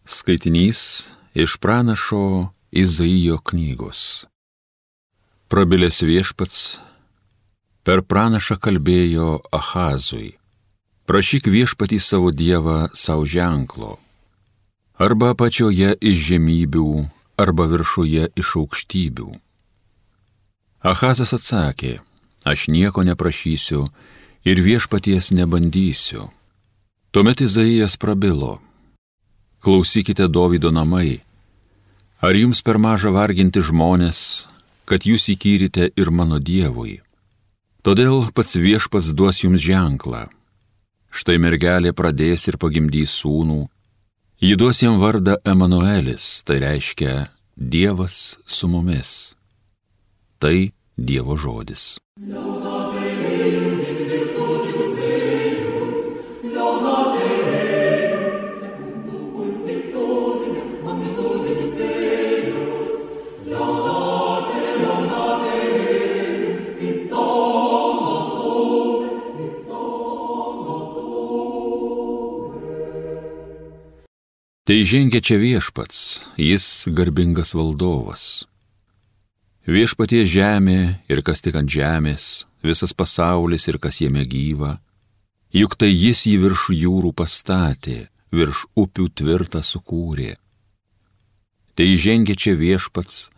Skaitinys iš pranašo Izaijo knygos. Prabilęs Viešpats per pranašą kalbėjo Ahazui: prašyk Viešpatį savo Dievą savo ženklo, arba apačioje iš žemybių, arba viršuje iš aukštybių. Ahazas atsakė: aš nieko neprašysiu ir Viešpaties nebandysiu. Tuomet Izaijas prabilo: klausykite, Dovydo namai, ar jums per maža varginti žmonės, kad jūs įkyrite ir mano Dievui? Todėl pats Viešpats duos jums ženklą. Štai mergelė pradės ir pagimdys sūnų, ji duos jam vardą Emanuelis, tai reiškia Dievas su mumis. Tai Dievo žodis. Tai žengia čia Viešpats, jis garbingas valdovas. Viešpatie žemė ir kas tik ant žemės, visas pasaulis ir kas jame gyva, juk tai jis jį virš jūrų pastatė, virš upių tvirtą sukūrė. Tai žengia čia Viešpats,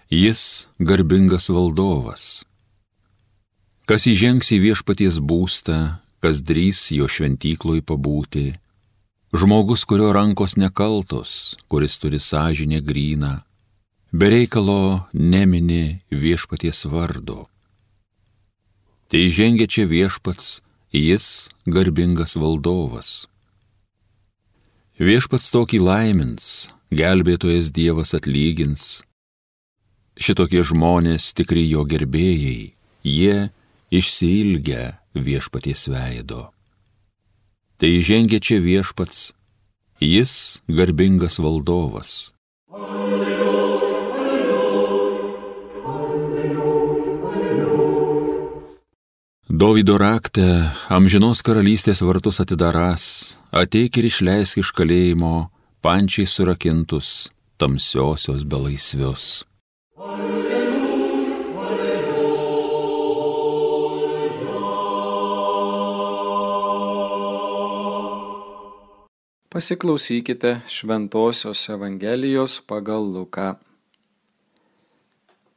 jis garbingas valdovas. Kas įžengs į Viešpaties būstą, kas drįs jo šventykloj pabūti, žmogus, kurio rankos nekaltos, kuris turi sąžinę gryną, be reikalo nemini Viešpaties vardo. Tai žengia čia Viešpats, jis garbingas valdovas. Viešpats tokį laimins, gelbėtojas Dievas atlygins. Šitokie žmonės tikri jo gerbėjai, jie išsiilgę Viešpaties veido. Tai žengia čia Viešpats, jis garbingas valdovas. Dovydo rakte amžinos karalystės vartus atidarás, ateik ir išleisk iš kalėjimo pančiai surakintus tamsiosios belaisvius. Pasiklausykite Šventosios Evangelijos pagal Luką.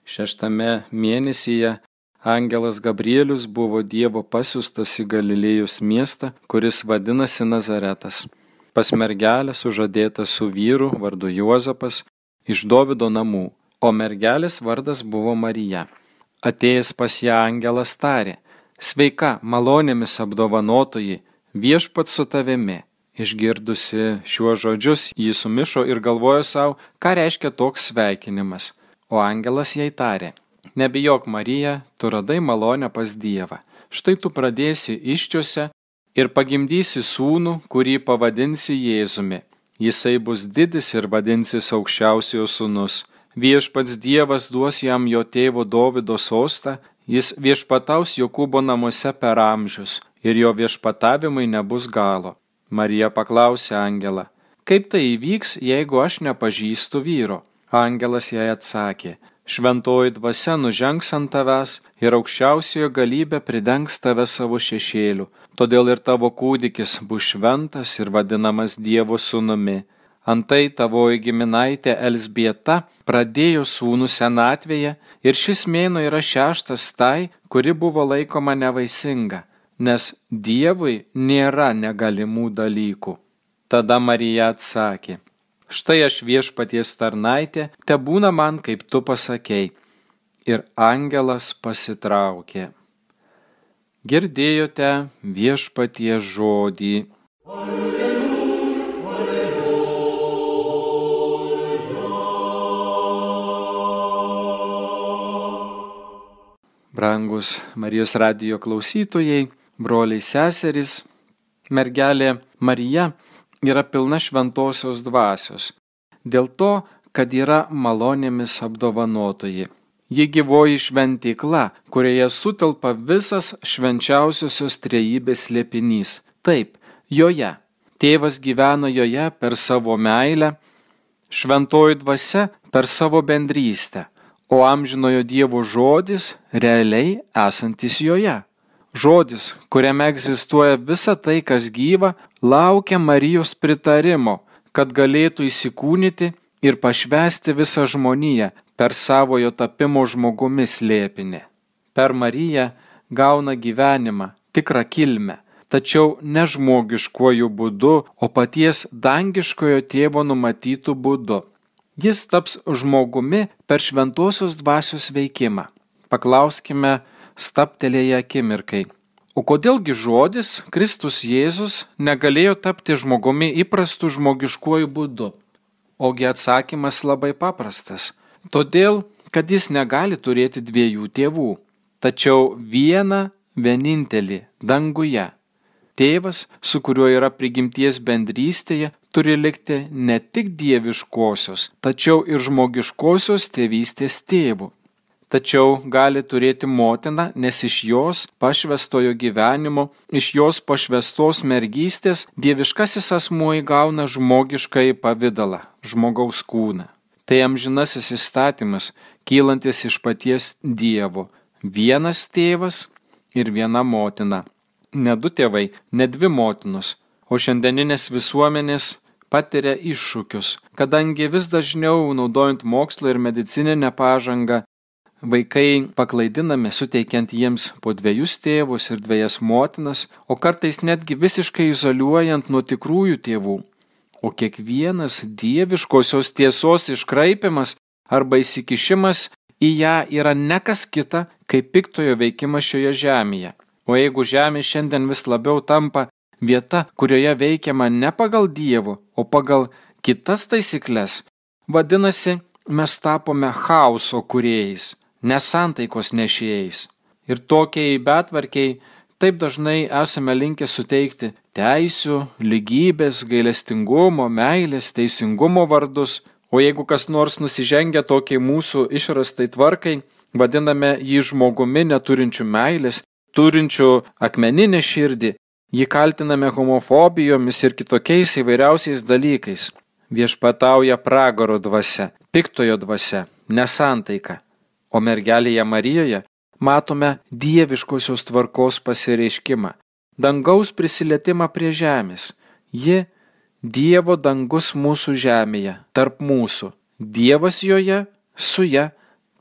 6 mėnesyje angelas Gabrielius buvo Dievo pasiųstas į Galilėjos miestą, kuris vadinasi Nazaretas, pas mergelę sužadėtą su vyru vardu Juozapas iš Dovydo namų, o mergelės vardas buvo Marija. Atėjęs pas ją angelas tarė: sveika, malonėmis apdovanotoji, Viešpats su tavimi. Išgirdusi šiuos žodžius, ji sumišo ir galvojo savo, ką reiškia toks sveikinimas. O angelas jai tarė: nebijok, Marija, tu radai malonę pas Dievą. Štai tu pradėsi iščiose ir pagimdysi sūnų, kurį pavadinsi Jėzumi. Jisai bus didis ir vadinsis Aukščiausiojo sūnus. Viešpats Dievas duos jam jo tėvo Dovydo sostą, jis viešpataus Jokūbo namuose per amžius ir jo viešpatavimai nebus galo. Marija paklausė angelą: kaip tai įvyks, jeigu aš nepažįstu vyro? Angelas jai atsakė: šventoji dvasia nužengs ant tavęs ir aukščiausiojo galybė pridengs tave savo šešėliu. Todėl ir tavo kūdikis bus šventas ir vadinamas Dievo sūnumi. Antai tavoji giminaitė Elzbieta pradėjo sūnų senatvėje ir šis mėnuo yra 6 tai, kuri buvo laikoma nevaisinga, nes Dievui nėra negalimų dalykų. Tada Marija atsakė: štai aš Viešpaties tarnaitė, tebūna man, kaip tu pasakei. Ir angelas pasitraukė. Girdėjote Viešpaties žodį. Brangus Marijos radijo klausytojai, broliai seserys, mergelė Marija yra pilna šventosios dvasios, dėl to, kad yra malonėmis apdovanotoji. Ji gyvoji šventykla, kurioje sutelpa visas švenčiausiosios trejybės slėpinys. Taip, joje. Tėvas gyvena joje per savo meilę, šventoji dvasia per savo bendrystę, o amžinojo Dievo žodis realiai esantis joje. Žodis, kuriame egzistuoja visa tai, kas gyva, laukia Marijos pritarimo, kad galėtų įsikūnyti ir pašvęsti visą žmoniją per savojo tapimo žmogumi slėpinį. Per Mariją gauna gyvenimą, tikrą kilmę, tačiau ne žmogiškuoju būdu, o paties dangiškojo tėvo numatytų būdu. Jis taps žmogumi per šventosios dvasios veikimą. Paklauskime stabtelėję akimirkai. O kodėlgi žodis, Kristus Jėzus, negalėjo tapti žmogumi įprastu žmogiškuoju būdu? Ogi atsakymas labai paprastas. Todėl, kad jis negali turėti dviejų tėvų, tačiau vieną vienintelį danguje. Tėvas, su kuriuo yra prigimties bendrystėje, turi likti ne tik dieviškosios, tačiau ir žmogiškosios tėvystės tėvu. Tačiau gali turėti motiną, nes iš jos pašvęstojo gyvenimo, iš jos pašvęstos mergystės dieviškasis asmuo įgauna žmogiškąjį pavidalą, žmogaus kūną. Tai amžinasis įstatymas, kylantis iš paties Dievo. Vienas tėvas ir viena motina. Ne du tėvai, ne dvi motinos, o šiandieninės visuomenės patiria iššūkius, kadangi vis dažniau, naudojant mokslo ir medicininę pažangą, vaikai paklaidinami, suteikiant jiems po dviejus tėvus ir dviejas motinas, o kartais netgi visiškai izoliuojant nuo tikrųjų tėvų. O kiekvienas dieviškosios tiesos iškraipimas arba įsikišimas į ją yra ne kas kita, kaip piktojo veikimas šioje žemėje. O jeigu žemė šiandien vis labiau tampa vieta, kurioje veikiama ne pagal Dievo, o pagal kitas taisyklės, vadinasi, mes tapome chaoso kūrėjais, nesantaikos nešėjais. Ir tokiai betvarkiai taip dažnai esame linkę suteikti teisių, lygybės, gailestingumo, meilės, teisingumo vardus, o jeigu kas nors nusižengia tokiai mūsų išrastai tvarkai, vadiname jį žmogumi neturinčiu meilės, turinčiu akmeninę širdį, jį kaltiname homofobijomis ir kitokiais įvairiausiais dalykais. Viešpatauja pragaro dvasia, piktojo dvasia, nesantaika. O mergelėje Marijoje matome dieviškosios tvarkos pasireiškimą, dangaus prisilietimą prie žemės. Ji Dievo dangus mūsų žemėje, tarp mūsų. Dievas joje, su ja,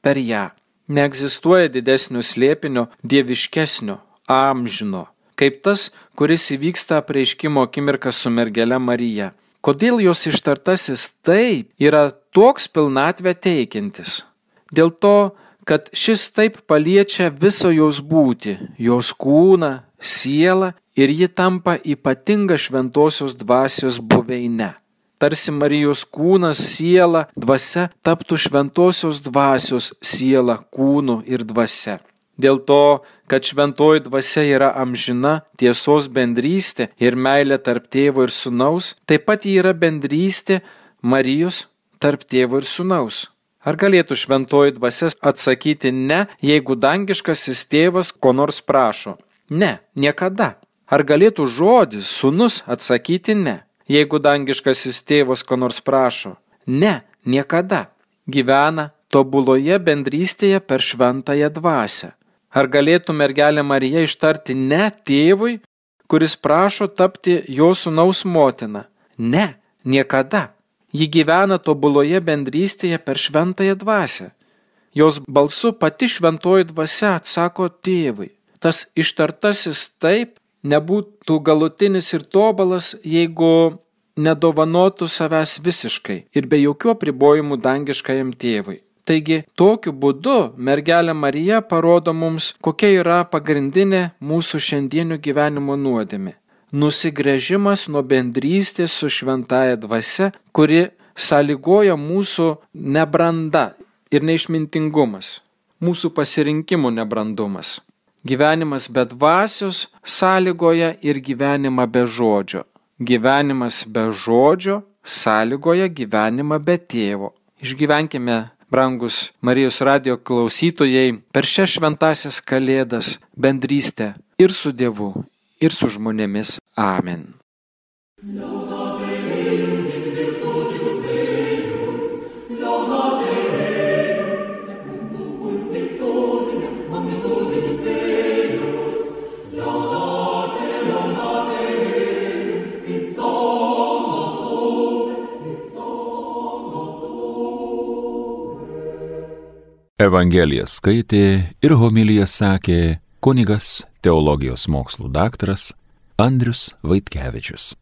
per ją. Neegzistuoja didesnio slėpinio, dieviškesnio, amžino, kaip tas, kuris įvyksta apreiškimo akimirką su mergele Marija. Kodėl jos ištartasis taip yra toks pilnatvę teikiantis? Dėl to, kad šis taip paliečia visą jos būtį, jos kūną, sielą ir ji tampa ypatinga šventosios dvasios buveine. Tarsi Marijos kūnas, siela, dvasia taptų šventosios dvasios siela, kūnu ir dvasia. Dėl to, kad šventoji dvasia yra amžina, tiesos bendrystė ir meilė tarp tėvo ir sūnaus, taip pat ji yra bendrystė Marijos tarp tėvo ir sūnaus. Ar galėtų šventoji dvasia atsakyti ne, jeigu dangiškasis tėvas ko nors prašo? Ne, niekada. Ar galėtų žodis, sūnus atsakyti ne, jeigu dangiškasis tėvas ko nors prašo? Ne, niekada. Gyvena tobuloje bendrystėje per šventąją dvasią. Ar galėtų mergelė Marija ištarti ne tėvui, kuris prašo tapti jo sūnaus motina? Ne, niekada. Ji gyvena tobuloje bendrystėje per šventąją dvasią. Jos balsu pati šventoji dvasia atsako tėvui. Tas ištartasis taip nebūtų galutinis ir tobulas, jeigu nedovanotų savęs visiškai ir be jokių apribojimų dangiškajam tėvui. Taigi, tokiu būdu mergelė Marija parodo mums, kokia yra pagrindinė mūsų šiandienio gyvenimo nuodėmė. Nusigręžimas nuo bendrystės su šventąja dvasia, kuri sąlygoja mūsų nebranda ir neišmintingumas, mūsų pasirinkimų nebrandumas. Gyvenimas be dvasios sąlygoja ir gyvenimą be žodžio. Gyvenimas be žodžio sąlygoja gyvenimą be tėvo. Išgyvenkime, brangus Marijos radijo klausytojai, per šias šventąsias kalėdas bendrystę ir su Dievu, ir su žmonėmis. Amen. Evangeliją skaitė ir homiliją sakė kunigas, teologijos mokslų daktaras Andrius Vaitkevičius.